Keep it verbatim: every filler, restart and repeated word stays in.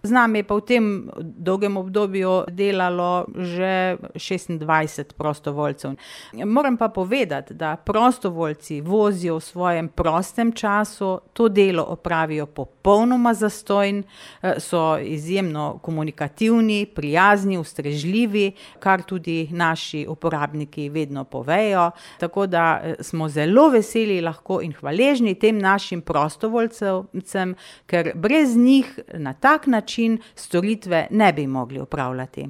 Z nami je pa v tem dolgem obdobju delalo že šestindvajset prostovoljcev. Moram pa povedati, da prostovoljci vozijo v svojem prostem času, to delo opravijo popolnoma zastonj, so izjemno komunikativni, prijazni, ustrežljivi, kar tudi naši uporabniki vedno povejo, tako da smo zelo veseli lahko in hvaležni tem našim prostovoljcem, ker brez njih na tak način storitve ne bi mogli opravljati.